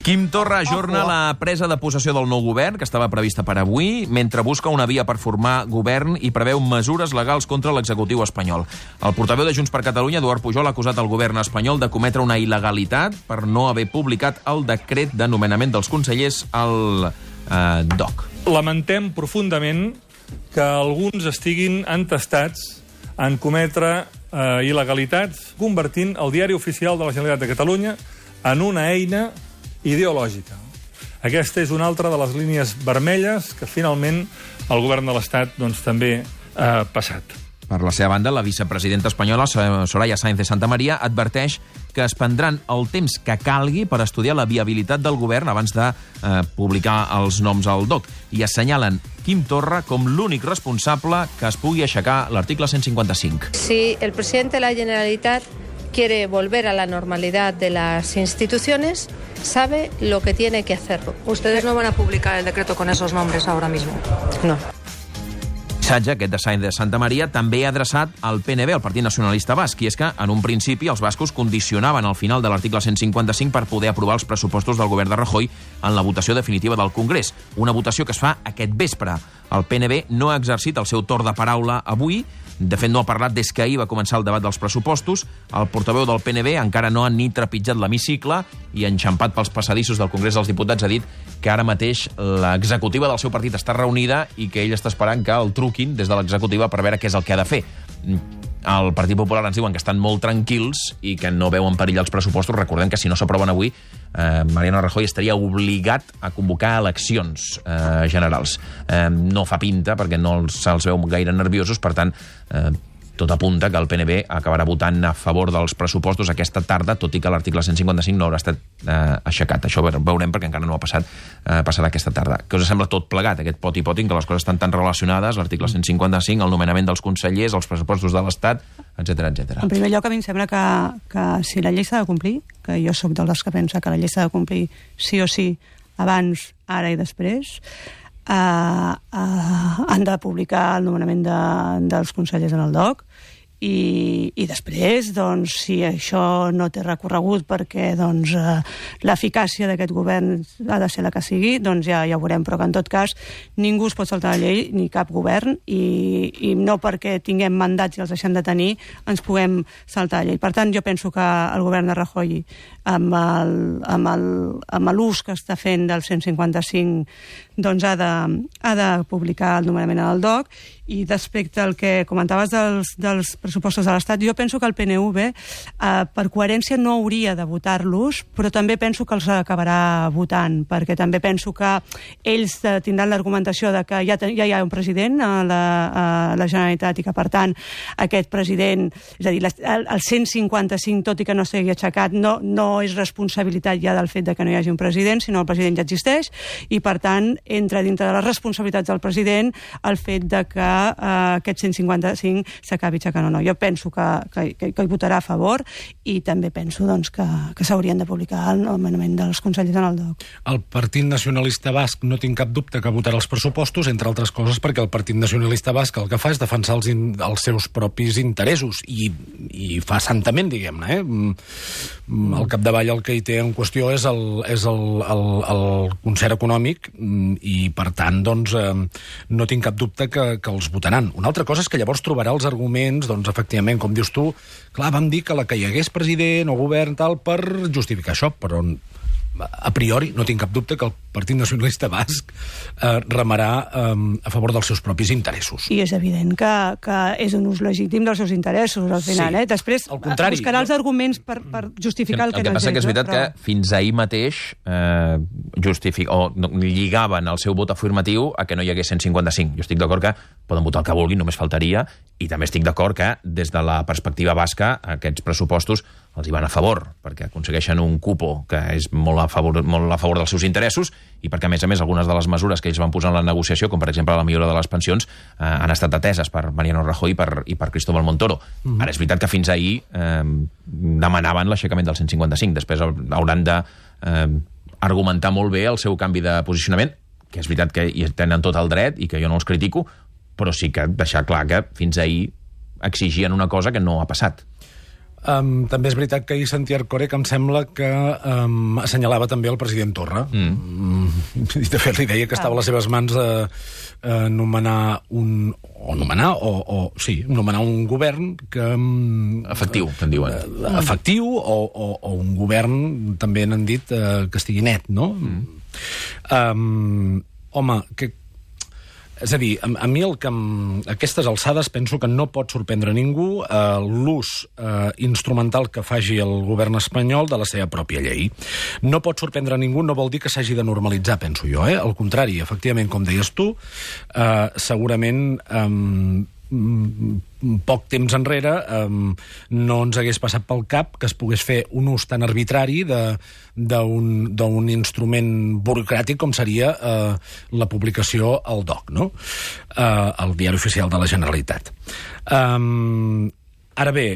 Quim Torra ajorna la presa de possessió del nou govern, que estava prevista per avui, mentre busca una via per formar govern i preveu mesures legals contra l'executiu espanyol. El portaveu de Junts per Catalunya, Eduard Pujol, ha acusat el govern espanyol de cometre una il·legalitat per no haver publicat el decret de nomenament dels consellers al DOC. Lamentem profundament que alguns estiguin entestats en cometre il·legalitats, convertint el diari oficial de la Generalitat de Catalunya en una eina ideològica. Aquesta és una altra de les línies vermelles que finalment el govern de l'Estat també ha passat. Per la seva banda, la vicepresidenta espanyola, Soraya Sáenz de Santamaría, adverteix que es prendran el temps que calgui per estudiar la viabilitat del govern abans de publicar els noms al DOC i assenyalen Quim Torra com l'únic responsable que es pugui aixecar l'article 155. Si el presidente de la Generalitat quiere volver a la normalidad de las instituciones, sabe lo que tiene que hacerlo. ¿Ustedes no van a publicar el decreto con esos nombres ahora mismo? No. El missatge, aquest de Sáenz de Santamaría, també ha adreçat al PNB, el Partit Nacionalista Basc, i és que, en un principi, els bascos condicionaven el final de l'article 155 per poder aprovar els pressupostos del govern de Rajoy en la votació definitiva del Congrés. Una votació que es fa aquest vespre. El PNB no ha exercit el seu torn de paraula avui. De fet, no ha parlat des que ahir va començar el debat dels pressupostos. El portaveu del PNB encara no ha ni trepitjat l'hemicicle i, enxampat pels passadissos del Congrés dels Diputats, ha dit que ara mateix l'executiva del seu partit està reunida i que ell està esperant que el truquin des de l'executiva per veure què és el que ha de fer. El Partit Popular ens diuen que estan molt tranquils i que no veuen perill els pressupostos. Recordem que si no s'aproven avui, Mariano Rajoy estaria obligat a convocar eleccions generals. No fa pinta perquè no se'ls veu gaire nerviosos, per tant, tot apunta que el PNB acabarà votant a favor dels pressupostos aquesta tarda, tot i que l'article 155 no haurà estat aixecat. Això veurem perquè encara no ha passat, passarà aquesta tarda. Què us sembla tot plegat, aquest poti-poti, que les coses estan tan relacionades, l'article 155, el nomenament dels consellers, els pressupostos de l'Estat, etc etc. En primer lloc, a mi em sembla que si la llei s'ha de complir, que jo sóc dels que pensa que la llei s'ha de complir sí o sí, abans, ara i després, han de publicar el nomenament dels consellers en el DOC i després, doncs, si això no té recorregut perquè l'eficàcia d'aquest govern ha de ser la que sigui, doncs ja ho veurem, però que en tot cas ningú es pot saltar la llei, ni cap govern, i no perquè tinguem mandats i els deixem de tenir ens puguem saltar la llei. Per tant, jo penso que el govern de Rajoy, amb l'ús que està fent del 155, doncs ha de publicar el nomenament al DOC. I respecte al que comentaves dels pressupostos de l'Estat, jo penso que el PNV, per coherència, no hauria de votar-los, però també penso que els acabarà votant, perquè també penso que ells tindran l'argumentació de que ja hi ha un president a la Generalitat i que, per tant, aquest president, és a dir, el 155, tot i que no s'hagi aixecat, no és responsabilitat ja del fet de que no hi hagi un president, sinó el president ja existeix, i, per tant, entra dintre de les responsabilitats del president el fet de que aquest 155 s'acabi aixecant o no. Jo penso que hi votarà a favor i també penso que s'haurien de publicar el nomenament dels consellers en el DOC. El Partit Nacionalista Basc no tinc cap dubte que votarà els pressupostos, entre altres coses perquè el Partit Nacionalista Basc el que fa és defensar els seus propis interessos i fa santament, diguem-ne. Al capdavall el que hi té en qüestió és el concert econòmic i, per tant, no tinc cap dubte que els votaran. Una altra cosa és que llavors trobarà els arguments, efectivament, com dius tu, clar, vam dir que la que hi hagués president o govern tal per justificar això, però a priori no tinc cap dubte que el Partit Nacionalista Basc remarà a favor dels seus propis interessos. I és evident que és un ús legítim dels seus interessos, al final. Sí. Després buscarà els arguments per justificar el que no és. El que passa que és veritat que fins ahir mateix lligaven el seu vot afirmatiu a que no hi hagués 155. Jo estic d'acord que poden votar el que vulguin, només faltaria, i també estic d'acord que, des de la perspectiva basca, aquests pressupostos els hi van a favor, perquè aconsegueixen un cupo que és molt a favor dels seus interessos i perquè, a més, algunes de les mesures que ells van posar en la negociació, com per exemple la millora de les pensions, han estat ateses per Mariano Rajoy i per Cristóbal Montoro. Ara, és veritat que fins ahir demanaven l'aixecament del 155. Després hauran d'argumentar molt bé el seu canvi de posicionament, que és veritat que hi tenen tot el dret i que jo no els critico, però sí que deixar clar que fins ahir exigien una cosa que no ha passat. També és veritat que ahir sentia Ercole, que em sembla que assenyalava també el president Torra. I de fet li deia que estava a les seves mans nomenar un govern que... Efectiu, que en diuen. Efectiu, o un govern, també n'han dit, que estigui net, no? Home, és a dir, a mi a aquestes alçades penso que no pot sorprendre ningú l'ús instrumental que faci el govern espanyol de la seva pròpia llei. No pot sorprendre ningú, no vol dir que s'hagi de normalitzar, penso jo. Al contrari, efectivament, com deies tu, segurament poc temps enrere no ens hagués passat pel cap que es pogués fer un ús tan arbitrari d'un instrument burocràtic com seria la publicació al DOC, no? Al Diari Oficial de la Generalitat. Ara bé,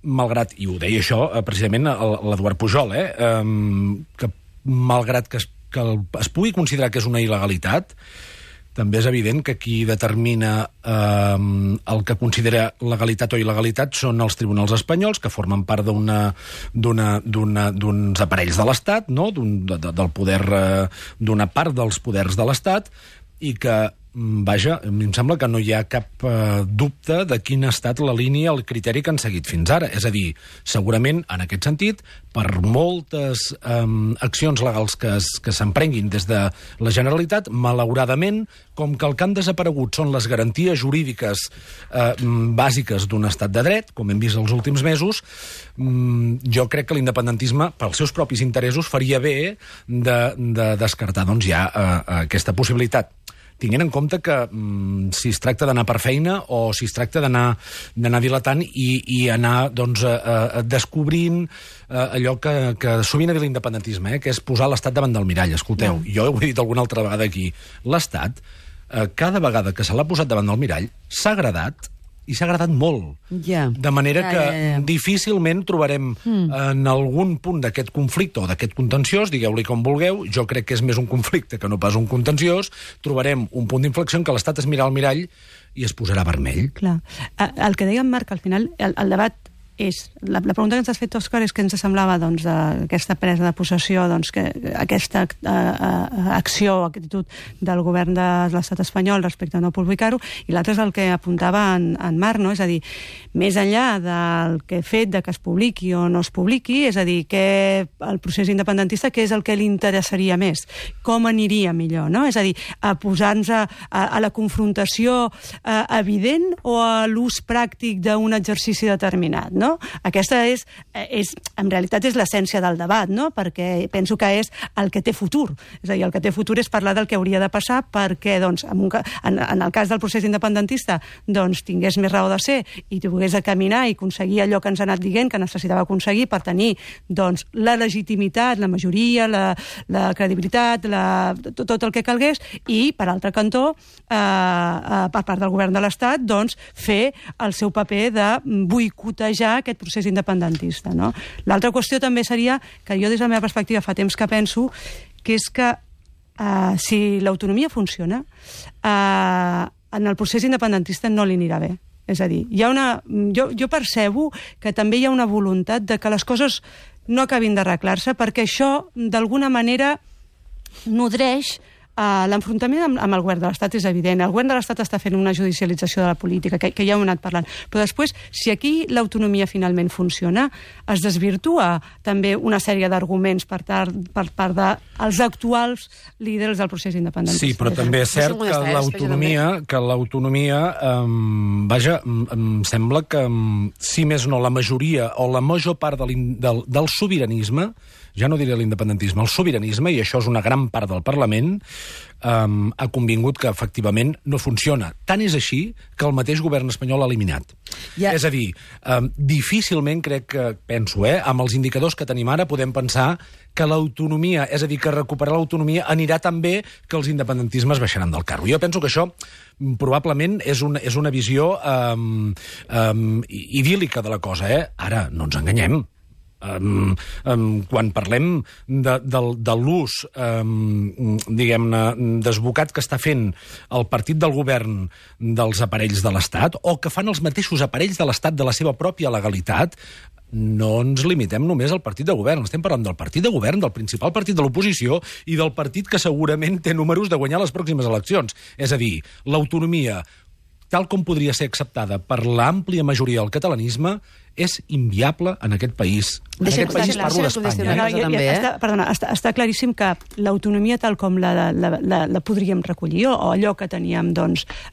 malgrat, i ho deia això precisament l'Eduard Pujol, que malgrat que es pugui considerar que és una il·legalitat, també és evident que qui determina el que considera legalitat o il·legalitat són els tribunals espanyols, que formen part d'uns aparells de l'Estat, no? Del poder, d'una part dels poders de l'Estat, i que, vaja, a mi em sembla que no hi ha cap dubte de quina ha estat la línia, el criteri que han seguit fins ara. És a dir, segurament, en aquest sentit, per moltes accions legals que s'emprenguin des de la Generalitat, malauradament, com que el que han desaparegut són les garanties jurídiques bàsiques d'un estat de dret, com hem vist els últims mesos, jo crec que l'independentisme, pels seus propis interessos, faria bé de descartar doncs, ja aquesta possibilitat. Tinguent en compte que si es tracta d'anar per feina o si es tracta d'anar dilatant i anar doncs, descobrint allò que sovint ha dit l'independentisme, que és posar l'Estat davant del mirall. Escolteu, jo ho he dit alguna altra vegada aquí, l'Estat, cada vegada que se l'ha posat davant del mirall, s'ha agradat, i s'ha agradat molt. De manera que difícilment trobarem en algun punt d'aquest conflicte o d'aquest contenciós, digueu-li com vulgueu, jo crec que és més un conflicte que no pas un contenciós, trobarem un punt d'inflexió en què l'Estat es mirarà al mirall i es posarà vermell. Clar. El que deia en Marc, al final, el debat és... La pregunta que ens has fet, Òscar, és què ens semblava doncs, aquesta presa de possessió, doncs, que aquesta acció, actitud del govern de l'estat espanyol respecte a no publicar-ho, i l'altre és el que apuntava en Marc, no? És a dir, més enllà del que fet de que es publiqui o no es publiqui, és a dir, que el procés independentista, què és el que li interessaria més? Com aniria millor, no? És a dir, a posar-nos a la confrontació evident o a l'ús pràctic d'un exercici determinat, no? Aquesta en realitat és l'essència del debat, no? Perquè penso que és el que té futur. És a dir, el que té futur és parlar del que hauria de passar perquè, doncs, en el cas del procés independentista, doncs, tingués més raó de ser i pogués de caminar i aconseguir allò que ens ha anat dient que necessitava aconseguir per tenir, doncs, la legitimitat, la majoria, la credibilitat, tot el que calgués, i, per altre cantó, per part del govern de l'Estat, doncs, fer el seu paper de boicotejar aquest procés independentista, no? L'altra qüestió també seria, que jo des de la meva perspectiva fa temps que penso, que és que si l'autonomia funciona, en el procés independentista no li anirà bé. És a dir, jo percebo que també hi ha una voluntat de que les coses no acabin d'arreglar-se, perquè això, d'alguna manera, nodreix l'enfrontament amb el govern de l'Estat. És evident. El govern de l'Estat està fent una judicialització de la política, que ja ho hem anat parlant. Però després, si aquí l'autonomia finalment funciona, es desvirtua també una sèrie d'arguments per part dels actuals líders del procés independentista. Sí, però també és cert que l'autonomia, vaja, em sembla que, si més no, la majoria o la major part del sobiranisme, ja no diré l'independentisme, el sobiranisme, i això és una gran part del Parlament, ha convingut que efectivament no funciona. Tant és així que el mateix govern espanyol l'ha eliminat. És a dir, difícilment penso, amb els indicadors que tenim ara, podem pensar que l'autonomia, és a dir, que recuperar l'autonomia anirà tan bé que els independentismes baixaran del carro. Jo penso que això probablement és una visió idíl·lica de la cosa. Ara, no ens enganyem. quan parlem de l'ús, diguem-ne, desbocat que està fent el partit del govern dels aparells de l'Estat, o que fan els mateixos aparells de l'Estat de la seva pròpia legalitat, no ens limitem només al partit de govern. Estem parlant del partit de govern, del principal partit de l'oposició i del partit que segurament té números de guanyar les pròximes eleccions. És a dir, l'autonomia, tal com podria ser acceptada per l'àmplia majoria del catalanisme, és inviable en aquest país. En aquest país parlo d'Espanya. Perdona, està claríssim que l'autonomia tal com la podríem recollir, o allò que teníem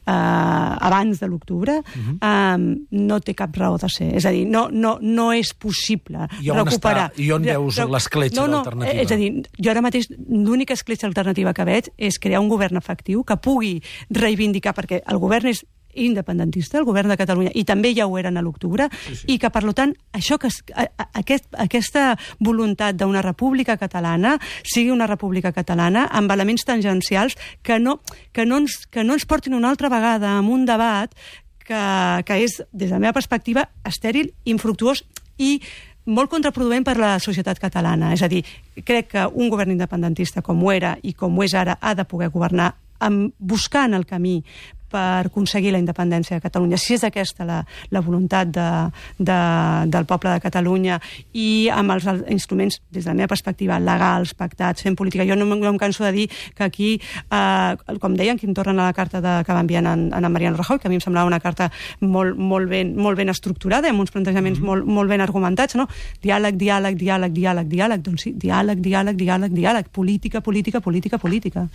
abans de l'octubre, no té cap raó de ser. És a dir, no és possible recuperar... I on veus l'escletxa d'alternativa? És a dir, jo ara mateix l'única escletxa alternativa que veig és crear un govern efectiu que pugui reivindicar, perquè el govern és independentista, el govern de Catalunya, i també ja ho eren a l'octubre, i que, per tant, aquesta voluntat d'una república catalana sigui una república catalana amb elements tangencials que no ens portin una altra vegada a un debat que és, des de la meva perspectiva, estèril, infructuós i molt contraproduent per la societat catalana. És a dir, crec que un govern independentista com ho era i com ho és ara ha de poder governar buscant el camí per aconseguir la independència de Catalunya, si és aquesta la voluntat del poble de Catalunya, i amb els instruments, des de la meva perspectiva, legals, pactats, fent política. Jo no em canso de dir que aquí, com deien, Quim Torra, a la carta que va enviar a Mariano Rajoy, que a mi em semblava una carta molt ben estructurada, amb uns plantejaments molt ben argumentats, no? Diàleg, diàleg, diàleg, diàleg, diàleg. Doncs sí, diàleg, diàleg, diàleg, diàleg. Política, política, política, política.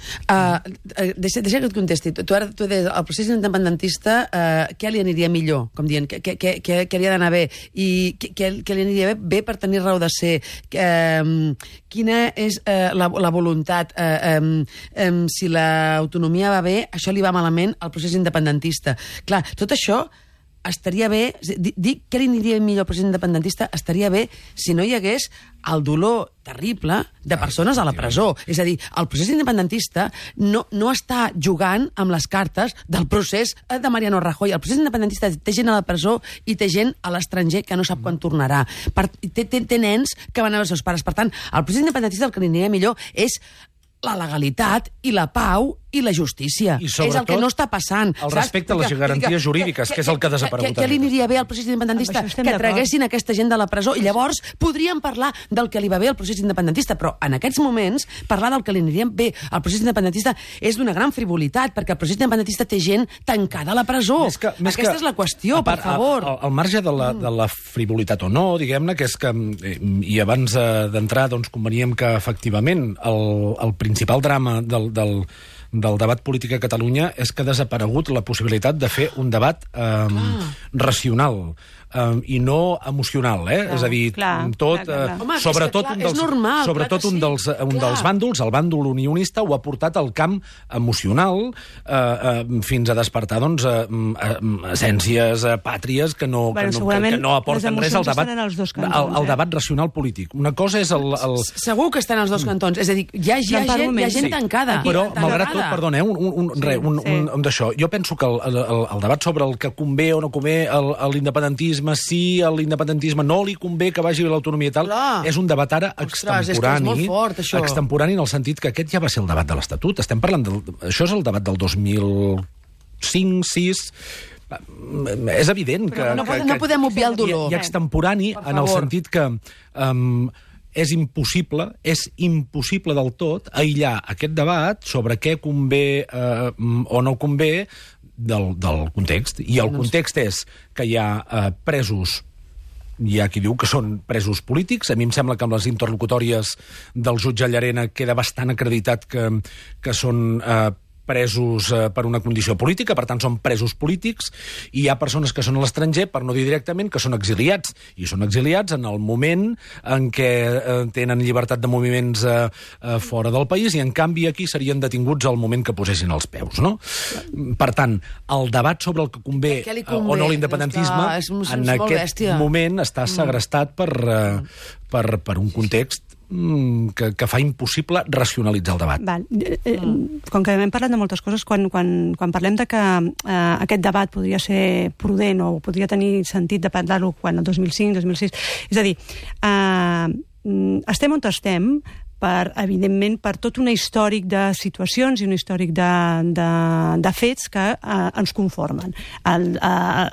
Deixa que et contesti. Tu deies, el procés independentista, què li aniria millor? Com dient, què li ha d'anar bé? I què li aniria bé per tenir raó de ser? Quina és la voluntat? Si l'autonomia va bé, això li va malament al procés independentista. Clar, tot això estaria bé, dir què li aniria millor al procés independentista estaria bé si no hi hagués el dolor terrible de persones a la presó. És a dir, el procés independentista no està jugant amb les cartes del procés de Mariano Rajoy. El procés independentista té gent a la presó i té gent a l'estranger que no sap quan tornarà. Té nens que van a veure els seus pares. Per tant, el procés independentista el que li aniria millor és la legalitat i la pau i la justícia. I sobretot, és el que no està passant. El respecte a les garanties jurídiques, que és el que ha desaparegut. Què li aniria bé al procés independentista? Que traguessin aquesta gent de la presó, i llavors podríem parlar del que li va bé al procés independentista, però en aquests moments parlar del que li aniria bé al procés independentista és d'una gran frivolitat, perquè el procés independentista té gent tancada a la presó. Aquesta és la qüestió, per favor. Al marge de la frivolitat o no, diguem-ne, que és que, i abans d'entrar, doncs conveníem que efectivament el principal drama del debat polític a Catalunya és que ha desaparegut la possibilitat de fer un debat racional i no emocional, és a dir, tot, sobretot un dels bàndols, el bàndol unionista, ho ha portat al camp emocional fins a despertar, doncs, essències pàtries que no aporten res al debat racional polític. Una cosa és el... Segur que estan als dos cantons, és a dir, hi ha gent tancada. Però, malgrat tot, perdona, un d'això, jo penso que el debat sobre el que convé o no convé a l'independentisme, si a l'independentisme no li convé que vagi l'autonomia i tal, és un debat ara extemporani, extemporani en el sentit que aquest ja va ser el debat de l'Estatut. Estem parlant això és el debat del 2005, 2006... És evident que... No podem obviar el dolor. I extemporani en el sentit que és impossible del tot aïllar aquest debat sobre què convé o no convé del context. I el context és que hi ha presos, hi ha qui diu que són presos polítics. A mi em sembla que amb les interlocutòries del jutge Llarena queda bastant acreditat que són presos per una condició política, per tant són presos polítics, i hi ha persones que són a l'estranger, per no dir directament, que són exiliats, i són exiliats en el moment en què tenen llibertat de moviments fora del país, i en canvi aquí serien detinguts al moment que posessin els peus, no? Per tant, el debat sobre el que convé o no l'independentisme en aquest moment està segrestat per un context que fa impossible racionalitzar el debat. Val. Com que hem parlat de moltes coses, quan parlem de que aquest debat podria ser prudent o podria tenir sentit de parlar-ho quan el 2005, 2006... És a dir, estem on estem evidentment, per tot un històric de situacions i un històric de fets que ens conformen.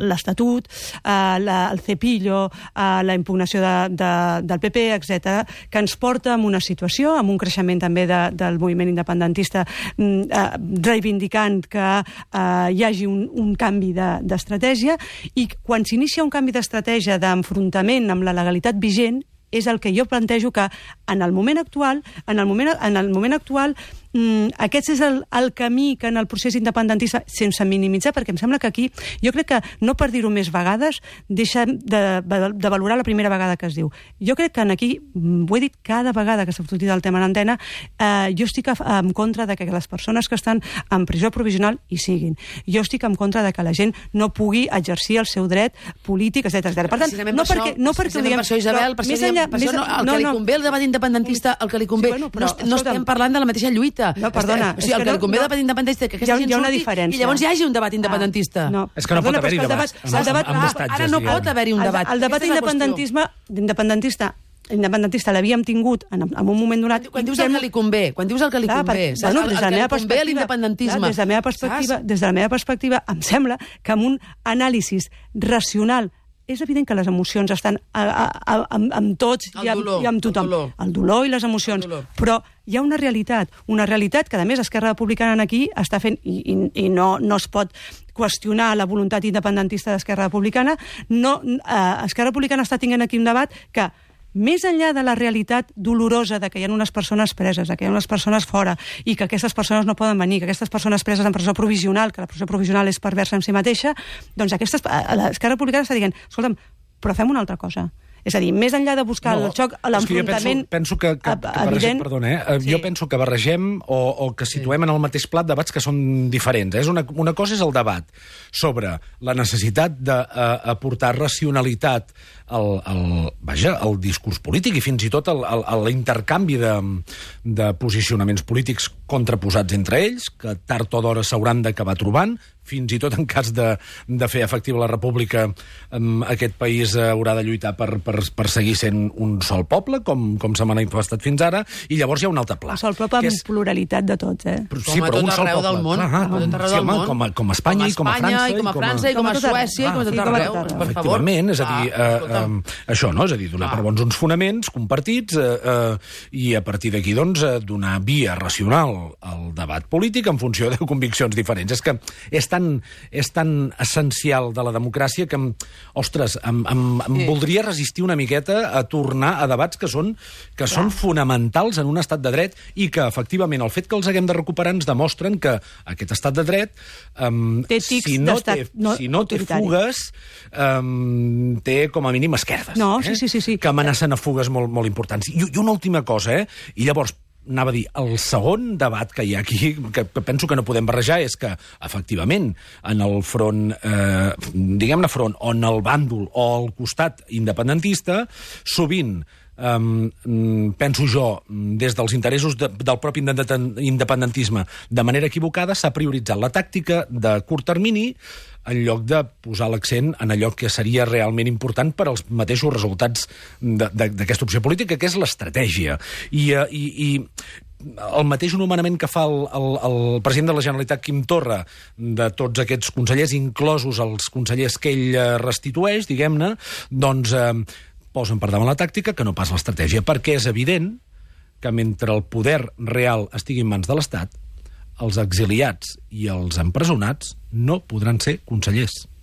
L'Estatut, el cepillo, la impugnació del PP, etc., que ens porta a una situació, amb un creixement també del moviment independentista reivindicant que hi hagi un canvi d'estratègia, i quan s'inicia un canvi d'estratègia d'enfrontament amb la legalitat vigent, és el que jo plantejo que en el moment actual, aquest és el camí que en el procés independentista, sense minimitzar, perquè em sembla que aquí, jo crec que, no per dir-ho més vegades, deixa de valorar la primera vegada que es diu. Jo crec que aquí, ho he dit cada vegada que s'ha sortit el tema en antena, jo estic en contra de que les persones que estan en presó provisional hi siguin. Jo estic en contra de que la gent no pugui exercir el seu dret polític, etc. Per tant, no perquè ho diguem... Per això, Isabel, el que li convé el debat independentista, el que li convé... No estem parlant de la mateixa lluita. No, perdona. O sigui, el que li convé el debat independentista que aquesta gent surti i llavors hi hagi un debat independentista. És que no pot haver-hi debat. Ara no pot haver-hi un debat. El debat independentista l'havíem tingut en un moment donat... Quan dius el que li convé, el que li convé a l'independentisme. Des de la meva perspectiva, em sembla que amb un anàlisi racional, és evident que les emocions estan amb tots i amb tothom. El dolor i les emocions. Però hi ha una realitat que, a més, Esquerra Republicana aquí està fent, i no es pot qüestionar la voluntat independentista d'Esquerra Republicana. Esquerra Republicana està tenint aquí un debat que, més enllà de la realitat dolorosa de que hi ha unes persones preses, que hi ha unes persones fora, i que aquestes persones no poden venir, que aquestes persones preses en presó provisional, que la presó provisional és perversa en si mateixa, doncs l'Esquerra Republicana està dient, escolta'm, però fem una altra cosa. És a dir, més enllà de buscar el xoc, l'enfrontament evident... Jo penso que barregem o que situem en el mateix plat debats que són diferents. Una cosa és el debat sobre la necessitat d'aportar racionalitat al discurs polític i fins i tot a l'intercanvi de posicionaments polítics contraposats entre ells, que tard o d'hora s'hauran d'acabar trobant, fins i tot en cas de fer efectiva la república, aquest país haurà de lluitar per seguir sent un sol poble, com s'ha manifestat fins ara, i llavors hi ha un altre pla. Un sol poble amb pluralitat de tots, Sí, però un sol poble. Com a Espanya i com a França. I com a França, i com a Suècia, i com a tot arreu. Efectivament, és a dir, això, no? És a dir, donar per bons uns fonaments compartits i a partir d'aquí, doncs, donar via racional al debat polític en funció de conviccions diferents. És que és tan essencial de la democràcia que, ostres, em voldria resistir una miqueta a tornar a debats que són fonamentals en un estat de dret i que, efectivament, el fet que els haguem de recuperar ens demostren que aquest estat de dret, si no té fugues, té com a mínim esquerdes. Sí. Que amenacen a fugues molt importants. I una última cosa, i llavors, anava a dir, el segon debat que hi ha aquí, que penso que no podem barrejar, és que, efectivament, en el front, diguem-ne front, o en el bàndol o al costat independentista, sovint, penso jo, des dels interessos del propi independentisme, de manera equivocada, s'ha prioritzat la tàctica de curt termini en lloc de posar l'accent en allò que seria realment important per als mateixos resultats d'aquesta opció política, que és l'estratègia. I el mateix nomenament que fa el president de la Generalitat, Quim Torra, de tots aquests consellers, inclosos els consellers que ell restitueix, diguem-ne, doncs posen per davant la tàctica que no pas l'estratègia, perquè és evident que mentre el poder real estigui en mans de l'Estat, els exiliats i els empresonats no podran ser consellers.